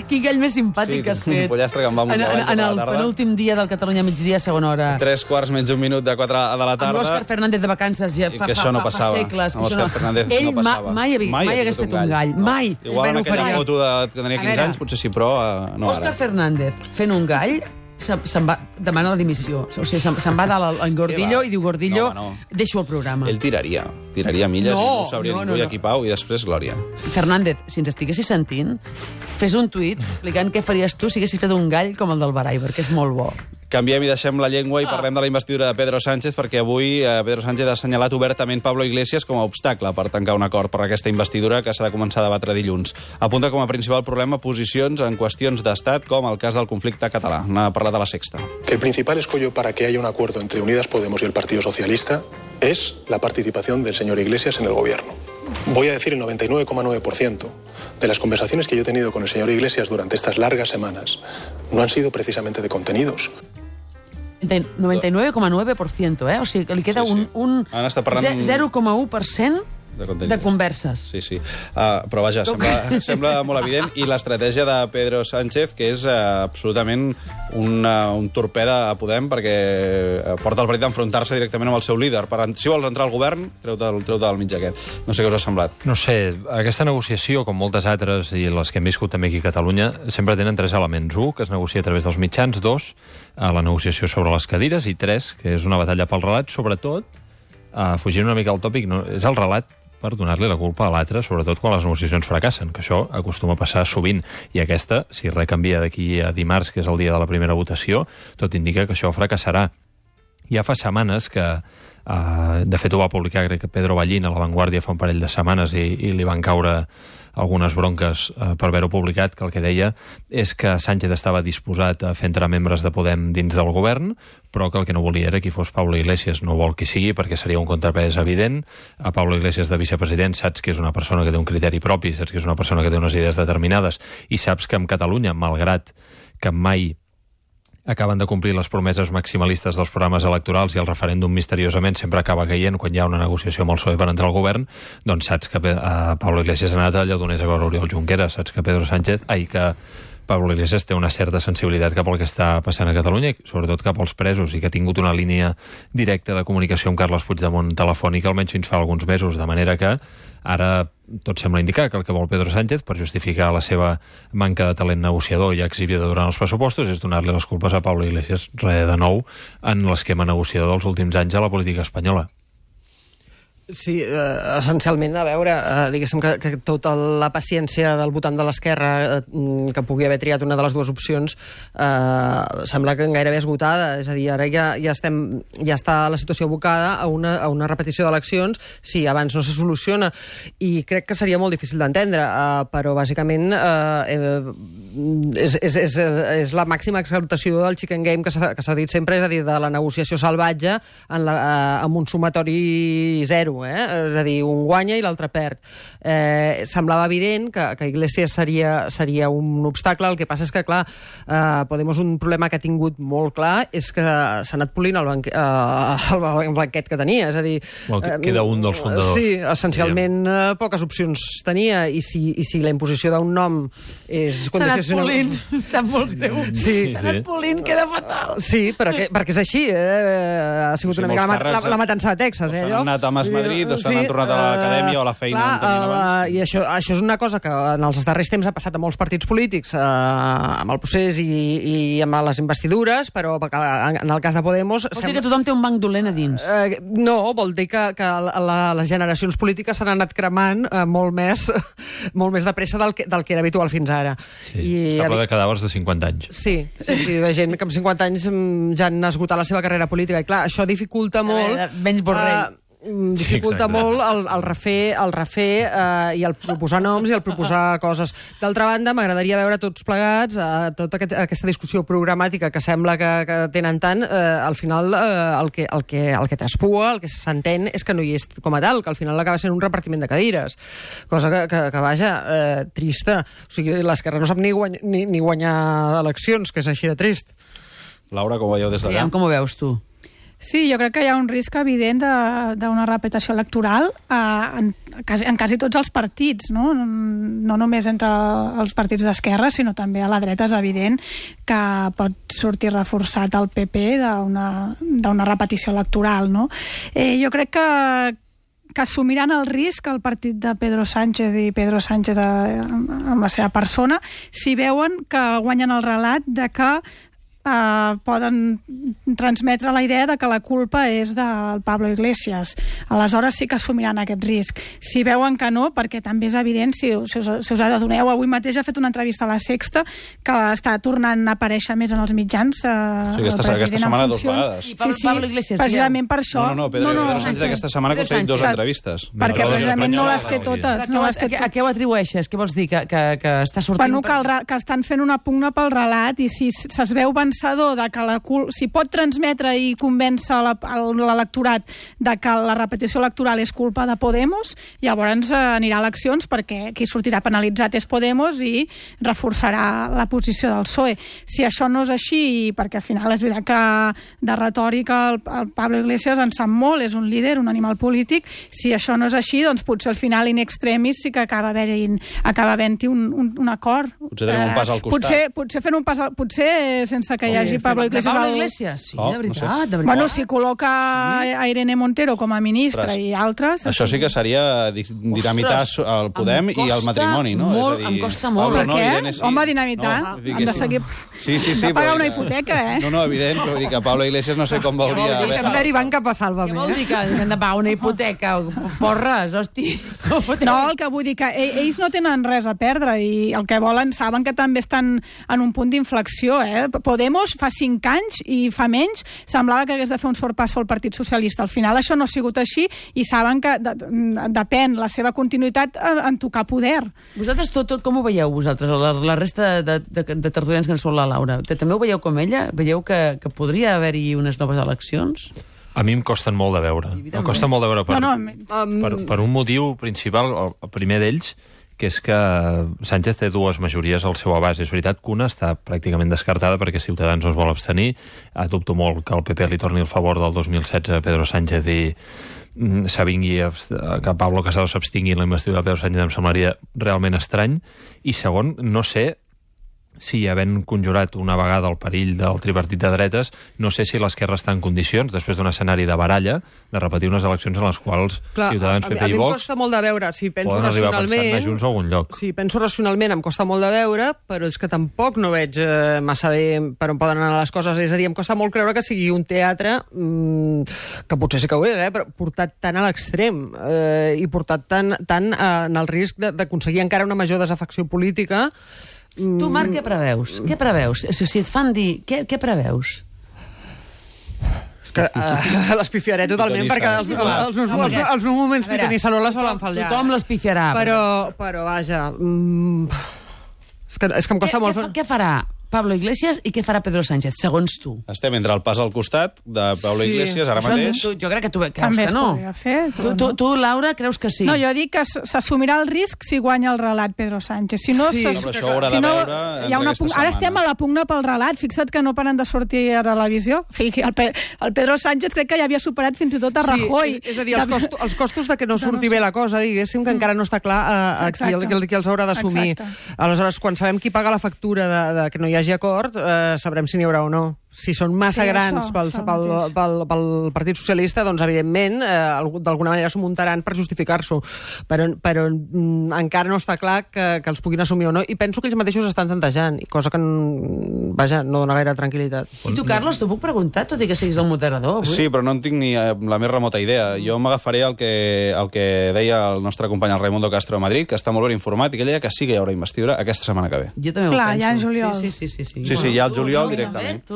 quin gall més simpàtic que has fet. Sí, un pollastre que em va muntar a la tarda. En el penúltim dia del Catalunya migdia, segona hora. 3 menys un minut de 4 de la tarda. Amb l'Òscar Fernández de vacances ja fa segles. Amb l'Òscar Fernández ell no passava. mai hagués fet un gall. Mai. Igual en aquella foto que tenia 15 anys, potser sí, però no ara. Òscar Fernández fent un gall se'n va demanar la dimissió. O sigui, se'n va dalt al Gordillo i diu, Gordillo, deixo el programa. Ell tiraria milles i no ho sabria ningú, i aquí Pau, i després Glòria. Fernández, si ens estiguessis sentint, fes un tuit explicant què faries tu si haguessis fet un gall com el del Barai, perquè és molt bo. Canviem i deixem la llengua i parlem de la investidura de Pedro Sánchez, perquè avui Pedro Sánchez ha assenyalat obertament Pablo Iglesias com a obstacle per tancar un acord per aquesta investidura que s'ha de començar a debatre dilluns. Apunta com a principal problema posicions en qüestions d'estat, com el cas del conflicte català. N'ha parlat a La Sexta. Que el principal escollo para que haya un acuerdo entre Unidas Podemos y el Partido Socialista es la participación del señor Iglesias en el gobierno. Voy a decir el 99,9% de las conversaciones que yo he tenido con el señor Iglesias durante estas largas semanas no han sido precisamente de contenidos. 99,9%, O sigui, que li queda un 0,1% de converses. Sí. Però vaja, sembla molt evident. I l'estratègia de Pedro Sánchez, que és absolutament un torpeda a Podem, perquè porta el partit d'enfrontar-se directament amb el seu líder. Si vols entrar al govern, treu-te del mig aquest. No sé què us ha semblat. No sé, aquesta negociació, com moltes altres, i les que hem viscut també aquí a Catalunya, sempre tenen 3 elements. 1, que es negocia a través dels mitjans. 2, la negociació sobre les cadires. I 3, que és una batalla pel relat. Sobretot, fugint una mica al tòpic, és el relat per donar-li la culpa a l'altre, sobretot quan les negociacions fracassen, que això acostuma a passar sovint. I aquesta, si res canvia d'aquí a dimarts, que és el dia de la primera votació, tot indica que això fracassarà. Ja fa setmanes que, de fet ho va publicar crec que Pedro Ballín a La Vanguardia fa un parell de setmanes i li van caure algunes bronques per haver-ho publicat, que el que deia és que Sánchez estava disposat a fer entrar membres de Podem dins del govern, però que el que no volia era que fos Pablo Iglesias. No vol qui sigui, perquè seria un contrapès evident. A Pablo Iglesias de vicepresident saps que és una persona que té un criteri propi, saps que és una persona que té unes idees determinades, i saps que en Catalunya, malgrat que mai acaben de complir les promeses maximalistes dels programes electorals i el referèndum misteriosament sempre acaba caient quan hi ha una negociació amb el PSOE per entrar al govern, doncs saps que Pablo Iglesias ha anat a Lledoners a veure Oriol Junqueras, saps que que Pablo Iglesias té una certa sensibilitat cap al que està passant a Catalunya, i sobretot cap als presos, i que ha tingut una línia directa de comunicació amb Carles Puigdemont telefònica almenys fins fa alguns mesos, de manera que ara tot sembla indicar que el que vol Pedro Sánchez per justificar la seva manca de talent negociador i exhibida durant els pressupostos és donar-li les culpes a Pablo Iglesias, de nou, en l'esquema negociador dels últims anys a la política espanyola. Sí, essencialment, a veure, diguéssim que tota la paciència del votant de l'esquerra que pugui haver triat una de les dues opcions sembla que gairebé esgotada, és a dir, ara ja està la situació abocada a una repetició d'eleccions si abans no se soluciona, i crec que seria molt difícil d'entendre, però bàsicament és la màxima exaltació del chicken game que s'ha dit sempre, és a dir, de la negociació salvatge amb un sumatori zero. És a dir, un guanya i l'altre perd. Semblava evident que Iglesias seria un obstacle. El que passa és que, clar, Podemos un problema que ha tingut molt clar és que s'ha anat polint el blanquet que tenia. És a dir... Queda un dels fundadors. Sí, essencialment poques opcions tenia, i si la imposició d'un nom és... S'ha anat polint, sap molt greu. S'ha anat polint, queda fatal. Sí, perquè és així. Ha sigut una mica la matança de Texas. S'han anat a Madrid o s'han tornat a l'acadèmia o a la feina on tenien abans. I això és una cosa que en els darrers temps ha passat a molts partits polítics amb el procés i amb les investidures, però en el cas de Podemos... Vol dir que tothom té un banc dolent a dins. No, vol dir que les generacions polítiques s'han anat cremant molt més de pressa del que era habitual fins ara. Sí, s'ha de cadàvers de 50 anys. Sí, de gent que amb 50 anys ja han esgotat la seva carrera política, i clar, això dificulta molt... Menys Borrell. Dificulta molt el refer i el proposar noms i el proposar coses. D'altra banda, m'agradaria veure tots plegats tota aquesta discussió programàtica que sembla que tenen tant, al final el que traspua, el que s'entén és que no hi és com a tal, que al final acaba sent un repartiment de cadires, cosa que vaja, trista. O sigui, l'esquerra no sap ni guanyar eleccions, que és així de trist. Laura, com ho veieu des d'allà? Com ho veus tu? Sí, jo crec que hi ha un risc evident d'una repetició electoral en quasi tots els partits, no? No només entre els partits d'esquerra, sinó també a la dreta. És evident que pot sortir reforçat el PP d'una repetició electoral, no? Jo crec que assumiran el risc el partit de Pedro Sánchez i Pedro Sánchez amb la seva persona si veuen que guanyen el relat de que poden transmetre la idea de que la culpa és del Pablo Iglesias. Aleshores sí que assumiran aquest risc. Si veuen que no, perquè també és evident, si us adoneu, avui mateix ha fet una entrevista a La Sexta que està tornant a aparèixer més en els mitjans. Aquesta setmana 2 vegades. Sí, precisament per això. No, Pedro Sánchez aquesta setmana ha aconseguit 2 entrevistes. Perquè precisament no les té totes. A què ho atribueixes? Què vols dir? Que està sortint... Bueno, que estan fent una pugna pel relat i si es veu de que si pot transmetre i convèncer l'electorat de que la repetició electoral és culpa de Podemos, llavors anirà a eleccions perquè qui sortirà penalitzat és Podemos i reforçarà la posició del PSOE. Si això no és així, perquè al final és veritat que de retòrica el Pablo Iglesias en sap molt, és un líder, un animal polític, si això no és així, doncs potser al final in extremis sí que acaba havent-hi un acord. Potser tenim un pas al costat. Potser fent un pas potser sense que hi hagi Pablo Iglesias. Sí, de veritat. Bueno, si col·loca a Irene Montero com a ministra i altres... Això sí que seria dinamitar el Podem i el matrimoni, no? Em costa molt. Per què? Home, dinamitar. Hem de seguir... Sí. De pagar una hipoteca, No, evident, però vull dir que Pablo Iglesias no sé com veuria... Estem derivant cap a Sálvame. Què vol dir que hem de pagar una hipoteca? Porres, hosti. No, el que vull dir que ells no tenen res a perdre i el que volen, saben que també estan en un punt d'inflexió, Podemos fa 5 anys i fa menys semblava que hagués de fer un sorpasso al Partit Socialista. Al final això no ha sigut així i saben que depèn la seva continuïtat en tocar poder. Vosaltres tot com ho veieu, vosaltres? La resta de tertulians que en surt la Laura. També ho veieu com ella? Veieu que podria haver-hi unes noves eleccions? A mi em costen molt de veure. Em costa molt de veure per un motiu principal, el primer d'ells, que és que Sánchez té 2 majories al seu abast. És veritat que una està pràcticament descartada perquè Ciutadans no es vol abstenir. Dubto molt que el PP li torni el favor del 2016 a Pedro Sánchez i s'avingui que Pablo Casado s'abstingui en la investidura de Pedro Sánchez. Em semblaria realment estrany. I segon, no sé si havent conjurat una vegada el perill del tripartit de dretes, no sé si l'esquerra està en condicions, després d'un escenari de baralla, de repetir unes eleccions en les quals Ciutadans, PP i Vox a mi em costa molt de veure, si penso racionalment, junts a algun lloc. Si penso racionalment em costa molt de veure, però és que tampoc no veig massa bé per on poden anar les coses. És a dir, em costa molt creure que sigui un teatre que potser sí que ho és, però portat tant a l'extrem i portat tant en el risc d'aconseguir encara una major desafecció política. Tu, Marc, què preveus? Què preveus? Si et fan dir, què preveus? L'espifiaré totalment, perquè els meus moments Pitonissarola solen fallar. Tothom l'espifiarà. Però vaja... És que em costa molt... Què farà Pablo Iglesias i què farà Pedro Sánchez, segons tu? Estem entre el pas al costat de Pablo Iglesias, ara mateix. Jo crec que tu creus també que no. També es podria fer. Tu, Laura, creus que sí? No, jo dic que s'assumirà el risc si guanya el relat Pedro Sánchez. Si no, però això ho haurà de veure aquesta setmana. Ara estem a la pugna pel relat. Fixa't que no paren de sortir a televisió. El Pedro Sánchez crec que ja havia superat fins i tot a Rajoy. És a dir, els costos de que no surti bé la cosa, diguéssim, que encara no està clar qui els haurà d'assumir. Aleshores, quan sabem qui paga la factura de que no hi hagi acord, sabrem si n'hi haurà o no. Si són massa grans pel Partit Socialista, doncs, evidentment, d'alguna manera s'ho muntaran per justificar-s'ho. Però encara no està clar que els puguin assumir o no. I penso que ells mateixos estan tantejant, cosa que, vaja, no dona gaire tranquil·litat. I tu, Carlos, t'ho puc preguntar, tot i que siguis el moderador, avui? Sí, però no en tinc ni la més remota idea. Jo m'agafaré el que deia el nostre company, el Raimundo Castro de Madrid, que està molt ben informat, i que ell deia que sí que hi haurà investidura aquesta setmana que ve. Jo també ho penso. Clar, ja en juliol. Sí, ja al juliol directament.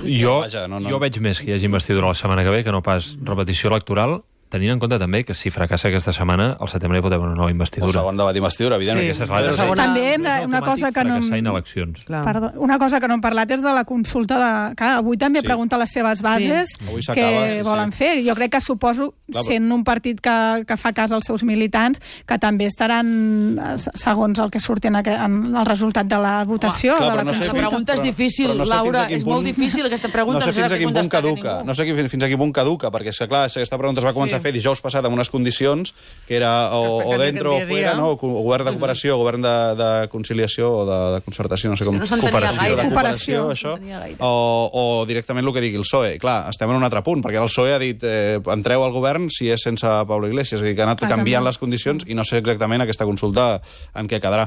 Jo veig més que hi hagi investidura la setmana que ve que no pas repetició electoral, tenint en compte també que si fracassa aquesta setmana, al setembre hi pot haver una nova El investidura. segon debat d'investidura, evidentment. Sí. Aquesta és la També una cosa que no... Fracassar en eleccions. Perdó, una cosa que no hem parlat és de la consulta de... Clar, avui també pregunta les seves bases Avui s'acaba, què volen fer. Jo crec que suposo, sent un partit que fa cas als seus militants, que també estaran, segons el que surti en el resultat de la votació, Clar, de la però no sé consulta. La pregunta és difícil, però no sé Laura, fins a quin és punt- molt difícil aquesta pregunta. No sé fins a quin punt caduca. Ningú. No sé fins a quin punt caduca, perquè és que, clar, aquesta pregunta es va començar a fer dijous passat amb unes condicions que era o dentro o fuera, no? O govern de cooperació, govern de conciliació o de concertació, no sé com... No s'entenia cooperació, gaire. de Cooperació. cooperació, això. No s'entenia gaire. O directament el que digui el PSOE. Clar, estem en un altre punt, perquè el PSOE ha dit entreu al govern si és sense Pablo Iglesias, és a dir, que ha anat canviant les condicions i no sé exactament aquesta consulta en què quedarà.